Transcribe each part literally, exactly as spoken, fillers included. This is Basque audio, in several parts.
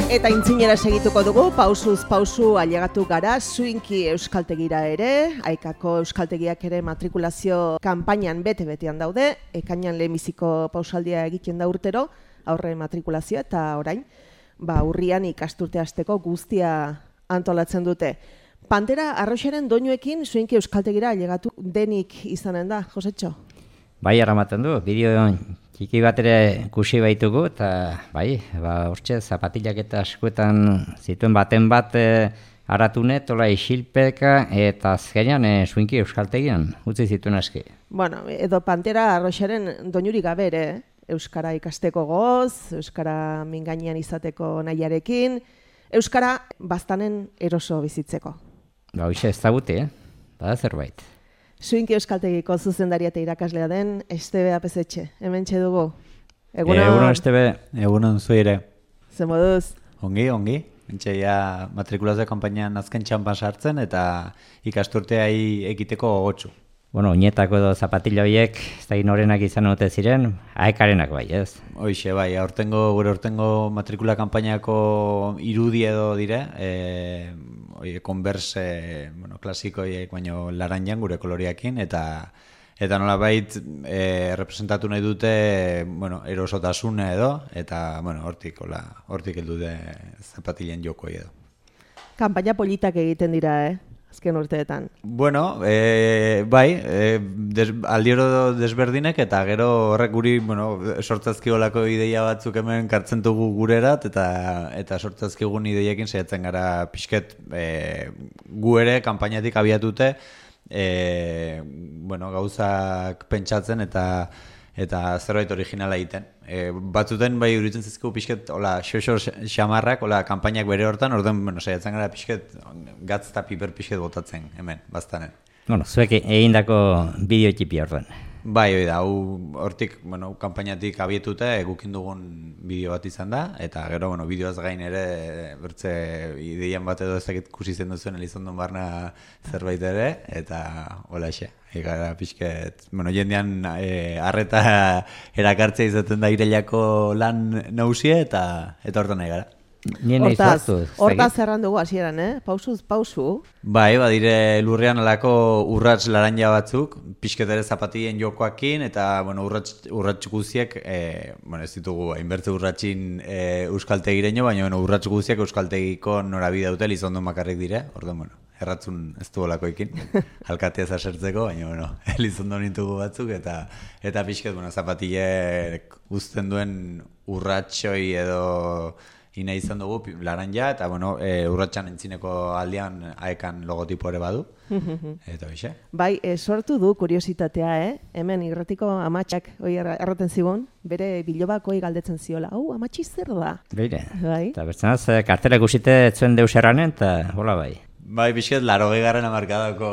Eta intzinera segituko dugu, pausuz pausu ailegatu gara, Swinky euskaltegira ere, Aikako euskaltegiak ere matrikulazio kanpainan bete-betean daude, ekainan lehenbiziko pausaldia egiten da urtero, aurre matrikulazioa eta orain, ba, urrian ikasturte hasteko guztia antolatzen dute. Pantera arroxaren doinuekin Swinky euskaltegira ailegatu denik izanen da, Josetxo? Bai, aramaten du, bideo txiki bat ere kusi baitugu, eta bai, ba, hortxe, zapatilak eta askuetan zituen baten bat e, aratune, tola isilpeka, eta azkenean e, Swinky euskaltegian, utzi zituen aski. Bueno, edo Pantera arroxaren doinurik gabe ere, euskara ikasteko goz, euskara mingainean izateko nahiarekin, euskara baztanen eroso bizitzeko. Ba, hoxe ez zabuti, eh? Bada zerbait. Swinky euskaltegiko zuzendaria eta irakaslea den Estebe Apezetxe, hementxe dugu. Egunon, Egunon Estebe, egunon zu ere. Ze moduz? Ongi, ongi. Mentxe ja matrikulazio kanpainan azken txampan sartzen eta ikasturteai ekiteko gogotsu. Bueno, oinetako edo zapatila horiek, ez da norenak izan ote ziren, aekarenak bai, ez? Hoixe, bai, aurtengo, gure aurtengo matrikula kanpainako irudi edo dire, e, oie, Converse, bueno, klasikoiek, baino laranjan gure koloriakin, eta eta nolabait e, representatu nahi dute, bueno, erosotasune edo, eta, bueno, hortik, hola, hortik heldu de zapatilen jokoi edo. Kanpaina politak egiten dira, eh? Azken urteetan. Bueno, e, bai, e, des, aldioro desberdinek eta gero horrek guri, bueno, sortzazkiolako ideia batzuk hemen kartzen dugu gurerat eta eta sortzazkigun ideiekin saiatzen gara pixket e, gu ere kanpainatik abiatute e, bueno, gauzak pentsatzen eta eta zerbait originala egiten. E, batzuten bai uritzen zizkigu pixket, hola, xoxo xamarrak, hola, kanpainak bere hortan, orduan, bueno, saiatzen gara pixket, gatz eta piper pixket botatzen, hemen, baztanen. Bueno, zuek egindako bideo txipi orduan. Bai, hori da, hortik, bueno, kanpainatik abietuta egukin dugun bideo bat izan da, eta gero, bueno, bideoaz gain ere, bertze ideian bat edo ezakit kusi zen duzuen Elizondon barna zerbait ere, eta hola xe. Gara pixket, bueno, jendean e, arreta erakartzea izaten da Irailako lan nausie eta eta hortan nahi gara. Hortaz, hortaz zerran dugu hasieran, eh? Pausuz, pausu. Bai, badire lurrean alako urrats laranja batzuk, pixket ere zapatilien jokoakin, eta, bueno, urrats, urrats guziek, e, bueno, ez ditugu, hainbertze urratsin e, euskaltegireño, baina, bueno, urrats guziek euskaltegiko norabide dute Elizondon bakarrik dire, orduan, bueno. Erratzun ez du olakoekin, alkatea zasertzeko, baina, bueno, Elizondo nintugu batzuk, eta eta pixket, bueno, zapatilek uzten duen urratxoi edo ina izan dugu laranja, eta, bueno, e, urratxan entzineko aldean aekan logotipo ere badu, eta bixe. Bai, e, sortu du kuriositatea, eh? Hemen irratiko amatxak, oi erraten zigun, bere bilobakoi galdetzen ziola, hau, amatxi zer da? Beire, bai? Eta bertzenaz, kartela ikusite zuen deus erranen, eta hola bai. Bai, pixket, laro gehiagaren amarkadako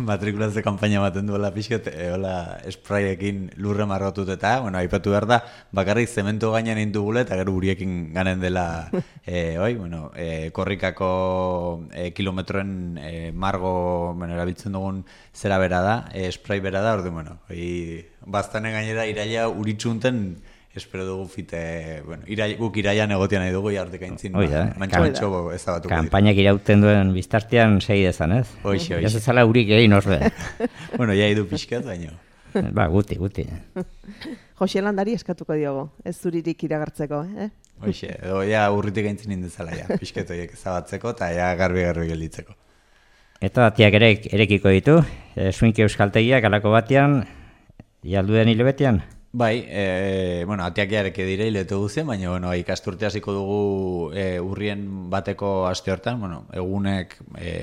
matrikulazio kanpaina baten duela pixket, e, hola, espraiekin lurre margotut eta, bueno, aipatu behar da, bakarrik zementu gainean indugule eta gero uriekin ganen dela, e, oi, bueno, e, korrikako e, kilometroen e, margo, bueno, erabiltzen dugun zera bera da, e, esprai bera da, ordu, bueno, oi, baztanen gainera iraila uritxunten, espero dugu fite, bueno, irai, guk iraian egotean nahi dugu jartek aintzin, mantxo-mantxo ezabatuko dira. Kampainak irauten duen biztartean segi dezan, ez? Hoxe, hoxe. Ez ezala urik egin orbe. Bueno, ja idu pixkat, baino. Ba, guti, guti. Jose Landari eskatuko diogo, ez zuririk iragartzeko, eh? Hoxe, edo ja urritik aintzin indezala, ja, pixket horiek ezabatzeko eta ja garbi-garbi gelditzeko. Eta atiak ere erekiko ditu, e, Swinky euskaltegiak alako batean, jalduen hilebetean? Bai, e, bueno, atiak jareke dire hilete guzien, baina bueno, ikasturte hasiko dugu e, urrien bateko aste hortan, bueno, egunek e,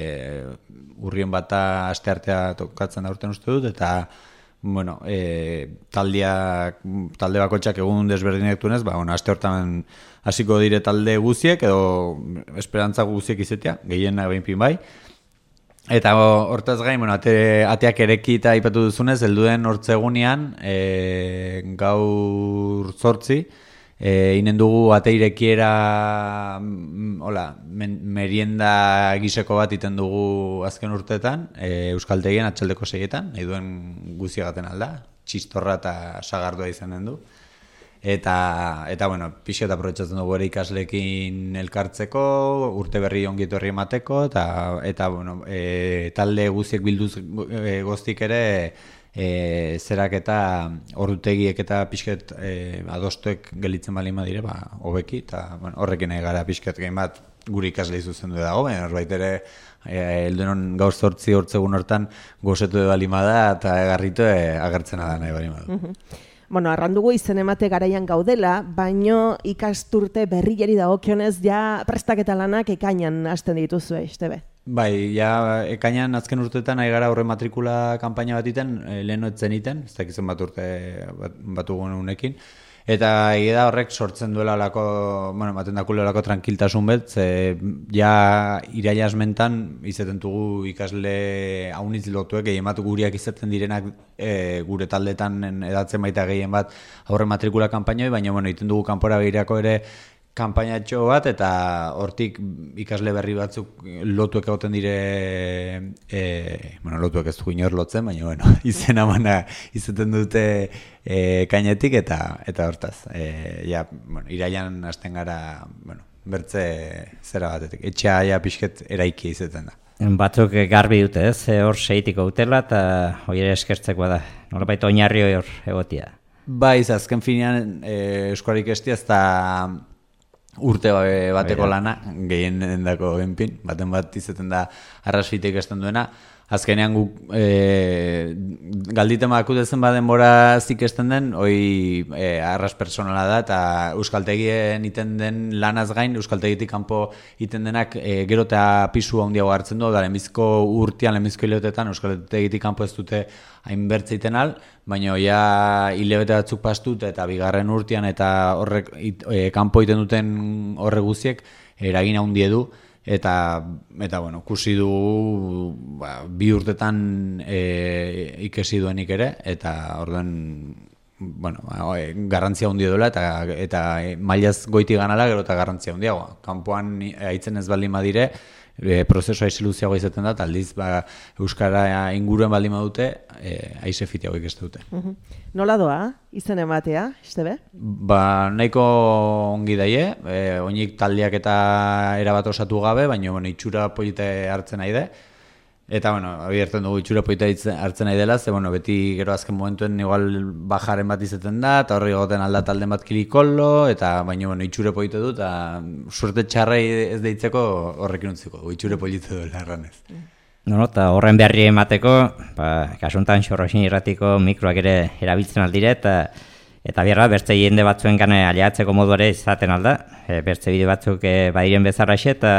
urrien bata aste artea tokatzen da urten uste dut, eta bueno, e, taldeak, talde bakotxak egun desberdinak dunez, ba, bueno, aste hortan hasiko dire talde guziek, edo esperantza guziek izetea, gehiena behinpin bai. Eta hortaz gain, bueno, ate, ateak ereki eta aipatu duzunez, helduen hortzegunean, e, gaur zortzi, e, inen dugu ate irekiera, hola, men, merienda giseko bat iten dugu azken urteetan, e, euskaltegien atxaldeko seietan, nahi duen guziagaten alda, txistorra eta sagardua izanen du. Eta, eta bueno, pixka eta aprobetxatzen dugu ere ikaslekin elkartzeko, urte berri ongi etorri emateko, eta, eta bueno, e, talde guztiek bilduz e, goztik ere, e, zerak eta ordutegiek eta pixket e, adostuek gelitzen bali madire, ba, hobeki, eta bueno, horrekin nahi gara pixket gehin bat guri ikasle izuzen du dago, baina horbait ere heldunon gaur zortzi hortzegun hortan gozetu balima da eta garritu agertzena da nahi balima da. Mm-hmm. Bueno, arrandugu izen emate garaian gaudela, baino ikasturte berriari dagokionez ja prestaketa lanak ekainan hasten dituzue, Estebe? Bai, ja ekainan azken urteetan nahi gara horre matrikula kanpaina bat iten, lehen etzen iten, ez dakizen bat urte bat, batugun unekin. Eta egia da horrek sortzen duela lako, bueno, maten dakule lako tranquiltasun bet, ze ja iraila asmentan izaten dugu ikasle haunitz lotuek, gehien bat guriak izaten direnak e, gure taldetan edatzen baita gehien bat aurre matrikula kanpainoi, baina bueno, iten dugu kanpora behirako ere kanpainatxo bat, eta hortik ikasle berri batzuk lotuek egoten dire, e, bueno, lotuek ez dugu inor lotzen, baina bueno, izena mana izaten dute e, kainetik, eta eta hortaz, e, ja, bueno, irailan hasten gara, bueno, bertze zera batetik, etxea ja pixket eraiki izaten da. Batzuk garbi dute ez, hor seitiko utela, eta hori ere eskertzekoa da, nolabait oinarri hor egotia. Bai, azken finean, e, eskoarik estia ez da urte bateko lana, gehien dako genpin, baten bat izaten da arrasfitek esten duena. Azkenean guk e, galditen bakutezen badenbora zikesten den, hoi e, arras personala da, eta euskaltegien iten den lanaz gain, euskaltegitik kanpo iten denak e, gero eta pisu handiago hartzen du, da lehenbizko urtean, lehenbizko hileotetan, euskaltegitik kanpo ez dute hainbertze iten al, baina ja hilebete batzuk pastut eta bigarren urtean eta horrek e, kanpo iten duten horre guziek eragin handi edu, eta eta bueno, kusi du ba, bi urtetan e, ikesi duenik ere, eta orduan bueno, e, garrantzia handia duela, eta eta e, mailaz goiti ganala gero eta garrantzia handiagoa. Kanpoan aitzen ez baldin badire, e, prozesua aiziluziago izaten da, aldiz ba, euskara inguruen baldin badute, e, aize fitiago ikestu dute. Uh-huh. Nola doa, izen ematea, Estebe? Ba, nahiko ongi daie, e, oinik taldeak eta erabat osatu gabe, baina bueno, itxura polite hartzen nahi de. Eta, bueno, abierten dugu itxura polita hartzen nahi dela, ze, bueno, beti gero azken momentuen igual bajaren bat izaten da, eta horri goten alda talden bat kilikollo, eta, baina, bueno, itxure polite du, eta suerte txarrei ez deitzeko horrekin utziko du, itxure polite duela erranez. No, no, eta horren beharri emateko, ba, kasuntan Xorroxin irratiko mikroak ere erabiltzen aldire, eta eta bierra, bertze jende batzuen gane aliatzeko modu ere izaten alda, e, bertze bide batzuk e, badiren bezarraxe, eta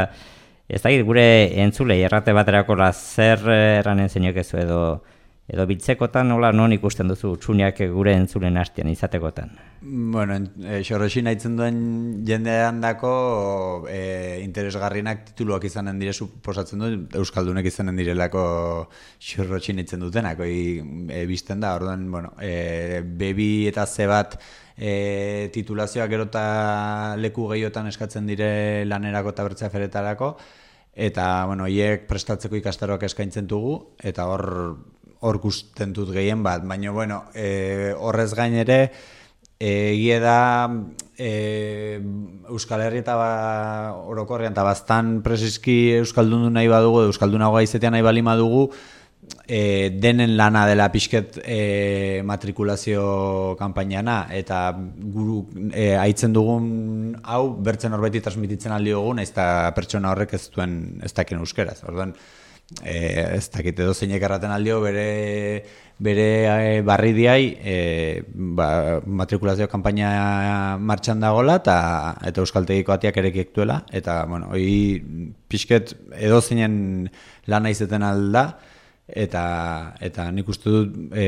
ez da gure entzulei errate baterako la zer eranen zeinokezu edo edo biltzekotan nola non ikusten duzu utxuniak gure entzulen hastian izatekotan? Bueno, e, Xorroxin haitzen duen jendean dako e, interesgarrienak tituluak izanen dire suposatzen du, euskaldunek izanen direlako Xorroxin haitzen dutenak, e, bizten da, orduan, bueno, e, bebi eta ze bat e, titulazioak gero eta leku gehiotan eskatzen dire lanerako eta bertzea feretarako, eta, bueno, hiek prestatzeko ikastaroak eskaintzen dugu, eta hor hor gusten dut gehien bat, baina, bueno, e, horrez gain ere, egie da e, Euskal Herri eta ba, orokorrean, eta baztan presiski Euskaldun nahi badugu, Euskaldunagoa izetean nahi balima dugu, e, denen lana dela pixket e, matrikulazio kanpainana, eta guru e, aitzen dugun hau bertzen horbeti transmititzen aldi dugun, ez da pertsona horrek ez duen ez dakin euskeraz. Orduan, e, ez dakit edo zeinek erraten aldio bere, bere e, barri diai e, ba, matrikulazio kanpaina martxan dagoela, eta, eta euskaltegiko atiak erekiek duela, eta bueno, hoi pixket edo zeinen lana izeten alda, eta eta nik uste dut e,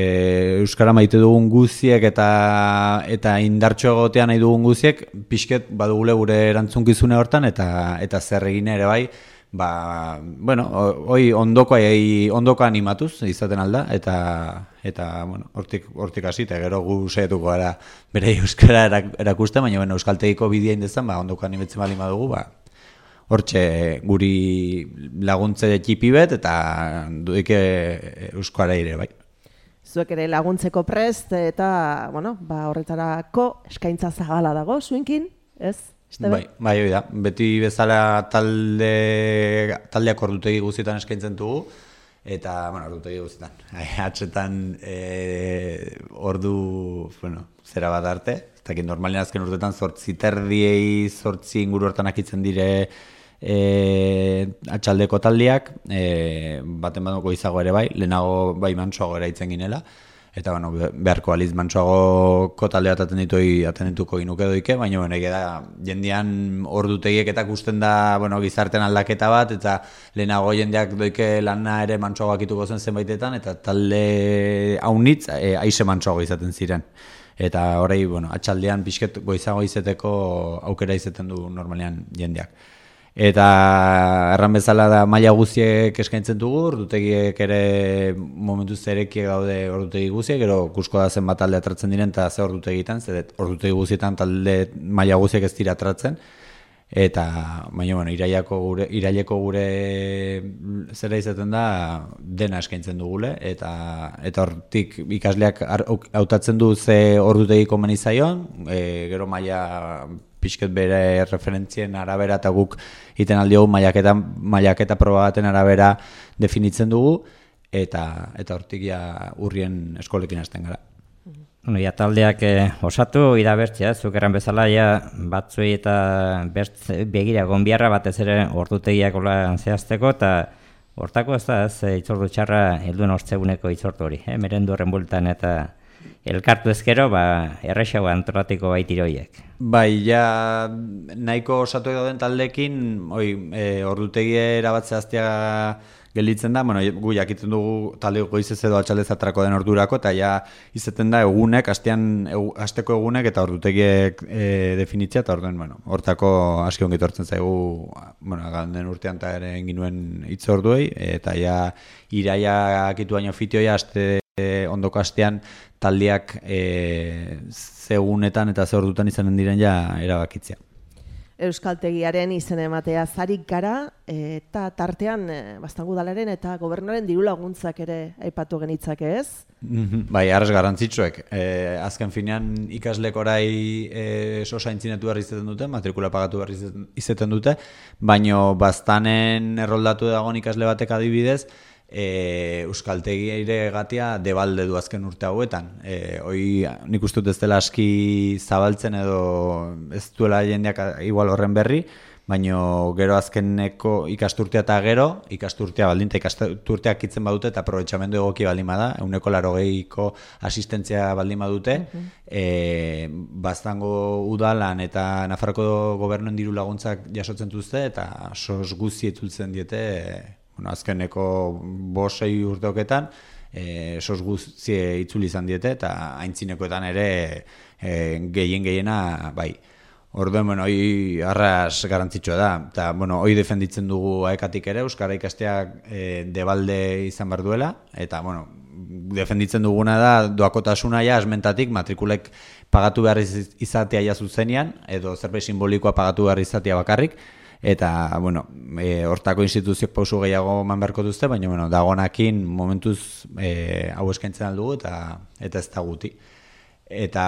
euskara maite dugun guziek eta eta indartxo egotea nahi dugun guziek pixket badugule gure erantzunkizune hortan, eta eta zer egin ere bai, ba, bueno, hoi ondoko ondoko animatuz izaten alda, eta eta bueno, hortik hortik hasi eta gero gu saiatuko gara bere euskara erakusten, baina bueno, euskaltegiko bidea indezan, ba ondoko animetzen bali badugu, ba hortxe guri laguntze txipi bet, eta duike euskara ere, bai. zuek ere laguntzeko prest, eta, bueno, ba, horretarako eskaintza zabala dago, zuenkin, ez? Estebe? Bai, bai, hori da. Beti bezala talde, taldeak ordutegi guztietan eskaintzen dugu, eta, bueno, ordutegi guztietan. Atxetan e, ordu, bueno, zera bat arte, ez dakit normalen azken urtetan zortzi terdiei, zortzi inguru hortan akitzen dire e, atxaldeko taldiak, e, baten baduko izago ere bai, lehenago bai mantsoago eraitzen ginela, eta bueno, beharko aliz mantsoagoko taldea atendituko inuke doike, baina bueno, da, jendean ordutegiek eta gusten da bueno, gizarten aldaketa bat, eta lehenago jendeak doike lana ere mantsoagoak ituko zen zenbaitetan, eta talde haunitz e, aize mantsoago izaten ziren. Eta horrei, bueno, atxaldean pixket goizago izeteko aukera izaten du normalean jendeak. Eta erran bezala da maila guztiek eskaintzen dugu, ordutegiek ere momentuz erekiek gaude ordutegi guztiek, gero kusko da zenbat talde atratzen diren eta ze ordutegitan, ze ordutegi guztietan talde maila guztiek ez dira atratzen. Eta, baina, bueno, iraileko gure, iraileko gure zera izaten da dena eskaintzen dugule, eta eta hortik ikasleak hautatzen du ze ordutegi komeni zaion, e, gero maila pixket bere referentzien arabera eta guk iten aldiogu mailaketa, mailaketa proba baten arabera definitzen dugu, eta eta hortik ja urrien eskolekin hasten gara. Bueno, ja, taldeak eh, osatu idabertzea, zuk erran bezala ja, batzuei eta bertz, begira gonbiarra batez ere ordutegiak hola zehazteko, eta hortako ez da, ez itzordu txarra helduen ortzeguneko itzordu hori, eh? Merendu horren bultan eta elkartu ezkero, ba, errexago antolatiko baitiroiek. Bai, ja, nahiko osatu dauden taldekin, oi, e, ordutegia erabatzea aztea gelditzen da, bueno, gu jakiten dugu talde goizez edo atxaldez atrako den ordurako, eta ja izaten da egunek, astean, egu, asteko egunek eta ordutegiek e, definitzea, eta orduen, bueno, hortako aski ongi tortzen zaigu, bueno, ganden urtean eta ere ginuen hitz orduei, eta ja iraia akitu baino fitioia aste ondoko astean taldeak e, ze egunetan eta ze ordutan izanen diren ja erabakitzea. Euskaltegiaren izen ematea zarik gara, eta tartean Baztan udalaren eta gobernuaren diru laguntzak ere aipatu genitzake, ez? Bai, arras garrantzitsuek. E, azken finean ikaslek orai e, sosaintzinetu behar izaten dute, matrikula pagatu behar izaten dute, baino Baztanen erroldatu dagoen ikasle batek adibidez, E, Euskaltegi ere gatia debalde du azken urte hauetan. E, hoi nik uste dut ez dela aski zabaltzen edo ez duela jendeak igual horren berri, baino gero azkeneko ikasturtea eta gero, ikasturtea baldin eta ikasturteak itzen badute eta aprobetxamendu egoki baldin bada, euneko larogeiko asistentzia baldin badute, uh-huh. e, Baztango udalan eta Nafarroko gobernuen diru laguntzak jasotzen duzte eta sos guzti etzultzen diete, bueno, azkeneko bosei urteoketan, e, sos guztie itzuli izan diete, eta aintzinekoetan ere e, gehien gehiena, bai. Orduen, bueno, hoi arras garantzitsua da, eta, bueno, hoi defenditzen dugu aekatik ere, euskara ikasteak e, debalde izan behar duela, eta, bueno, defenditzen duguna da doakotasuna ja asmentatik matrikulek pagatu behar izatea ja zuzenean, edo zerbait simbolikoa pagatu behar izatea bakarrik, eta, bueno, e, hortako instituziok pausu gehiago eman beharko duzte, baina, bueno, dagonakin momentuz e, hau eskaintzen aldugu eta eta ez da guti. Eta,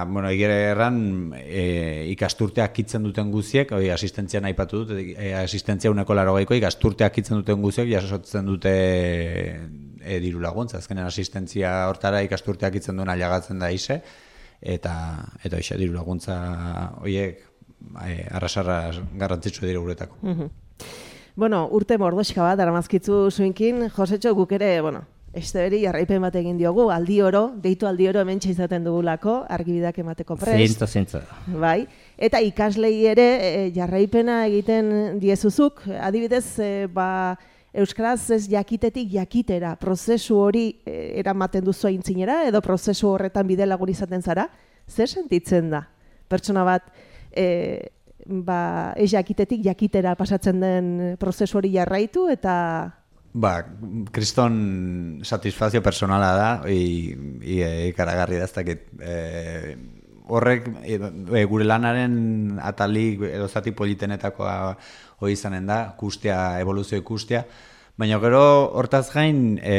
bueno, egire erran e, ikasturteak kitzen duten guziek, oi, asistentzia nahi patu dut, e, asistentzia uneko larogeiko, ikasturteak kitzen duten guziek jasotzen dute e, diru laguntza. Azkenen asistentzia hortara ikasturteak kitzen duen aliagatzen da ise, eta, eta oixe, diru laguntza horiek arrasarra garrantzitsu dira guretako. Uh-huh. Bueno, urte mordoxka bat, aramazkitzu zuinkin, Josetxo, guk ere, bueno, Esteberi jarraipen bat egin diogu, aldi oro, deitu aldi oro hemen izaten dugulako, argibidak emateko prest. Zintzo, zintzo. Bai, eta ikaslei ere e, jarraipena egiten diezuzuk, adibidez, e, ba, euskaraz ez jakitetik jakitera, prozesu hori e, eramaten duzu aintzinera, edo prozesu horretan bide lagun izaten zara, zer sentitzen da? Pertsona bat, E, ba, ez jakitetik jakitera pasatzen den prozesu hori jarraitu eta... Ba, kriston satisfazio personala da, ikaragarri da, ez dakit. E, horrek e, gure lanaren atalik edo zati politenetakoa hori izanen da, kustea, evoluzio ikustea, baina gero hortaz gain... E,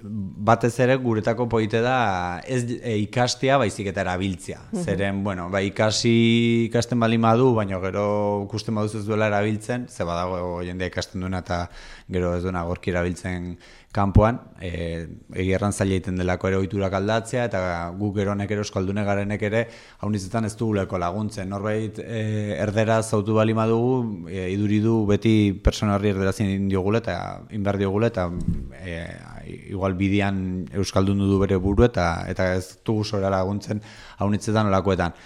batez ere guretako poite da ez e, ikastea baizik eta erabiltzea. Uh -huh. Zeren, bueno, ba, ikasi ikasten bali madu, baina gero ikusten baduz ez duela erabiltzen, ze badago jendea ikasten duena eta gero ez duena gorki erabiltzen kanpoan, e, egierran zaila egiten delako ere ohiturak aldatzea, eta guk geronek ere euskaldune garenek ere haunitzetan ez duguleko laguntzen. Norbait e, erderaz zautu bali madugu, e, iduri du beti persona horri erderazin diogule eta inbar diogule, eta e, igual bidian euskaldun du bere buru eta eta ez dugu zora laguntzen haunitzetan olakoetan.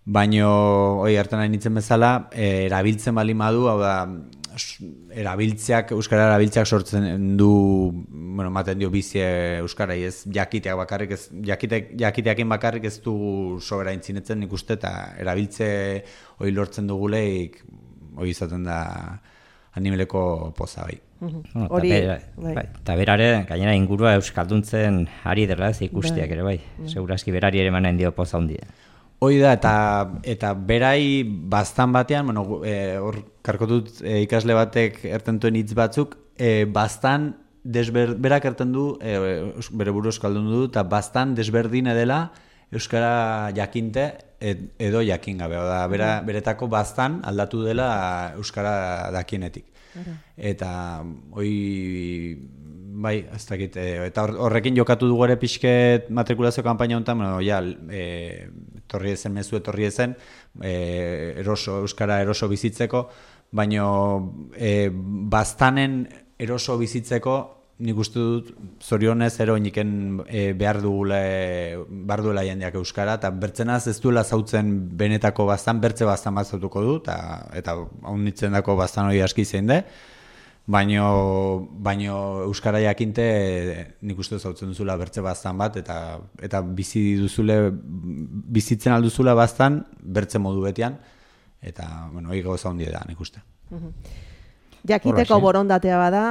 Baino, oi, hartan nahi nintzen bezala, e, erabiltzen bali madu, hau da, erabiltzeak, euskara erabiltzeak sortzen du, bueno, maten dio bizi euskarai, ez jakiteak bakarrik, ez jakiteak, jakiteakin bakarrik ez du sobera intzinetzen nik uste, eta erabiltze hori lortzen duguleik, hori izaten da animeleko poza bai. Hori, eta berare, gainera ingurua euskalduntzen ari dela ez ikusteak ere bai, segurazki berari ere manen dio poza hundia. Hoi da, eta, eta berai bastan batean, bueno, e, hor karkotut e, ikasle batek ertentuen hitz batzuk, e, bastan desber, berak erten du, e, bere buru euskaldun du, eta bastan desberdin edela euskara jakinte ed, edo jakin gabe. Oda, bera, beretako bastan aldatu dela euskara dakienetik. Eta hoi... Bai, ez dakit, e, eta horrekin jokatu dugu ere pixket matrikulazio kanpaina honetan, bueno, ja, e, torri ezen, mezu etorri ezen, e, eroso, euskara eroso bizitzeko, baino e, bastanen eroso bizitzeko, nik uste dut, zorionez, ero iniken e, behar dugule, behar duela jendeak euskara, eta bertzenaz ez duela zautzen benetako bastan, bertze bastan bat zautuko du, eta, eta haunitzen dako bastan hori aski zein de, Baino, baino euskara jakinte nik uste zautzen duzula bertze bastan bat, eta eta bizi duzule, bizitzen alduzula bastan, bertze modu betian, eta, bueno, hori gauza handia da, nik uste. Jakiteko borondatea bada,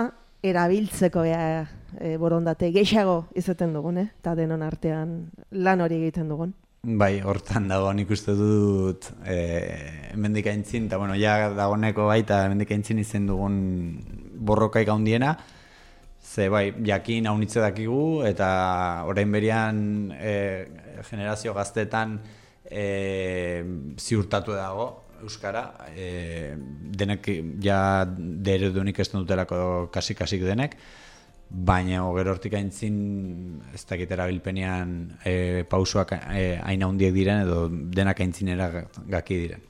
erabiltzeko ea, e, borondate gehiago izaten dugun, eh? Eta denon artean lan hori egiten dugun. Bai, hortan dago, nik uste dut e, hemendik aintzin, eta bueno, ja dagoneko baita hemendik aintzin izen dugun borrokaik handiena, ze bai, jakin haunitze dakigu, eta orain berian e, generazio gaztetan e, ziurtatu dago euskara, e, denek ja deredunik ez dutelako kasik-kasik denek, baina gero hortik aintzin ez dakit erabilpenean e, pausoak e, aina handiek diren edo denak aintzinera gaki diren.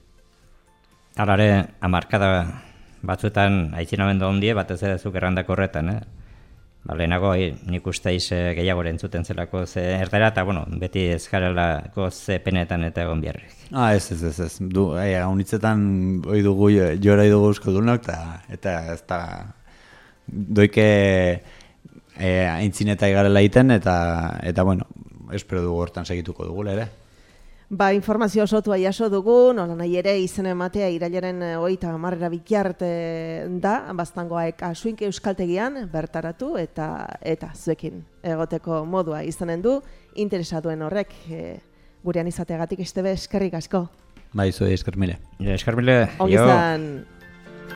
Alare, hamarkada batzuetan aitzinamendu handie, batez ere zuk errandako horretan, eh? Ba, lehenago nik uste iz gehiago entzuten zelako ze erdera, eta bueno, beti ez garelako ze penetan eta egon biharrik. Ah, ez, ez, ez, ez. Du, e, haunitzetan oi dugu, jora dugu euskaldunok, eta, eta ez da doike E, aintzineta igarela egiten, eta, eta bueno, espero dugu hortan segituko dugu ere. Ba, informazio osotua jaso dugu, nola nahi ere izen ematea irailaren hogeita hamarrera bikiarte da, baztangoaek Asuinki euskaltegian bertaratu, eta eta zuekin egoteko modua izanen du, interesatuen horrek e, gurean izateagatik estebe eskerrik asko. Bai, zue eskermile. Eskermile, jo.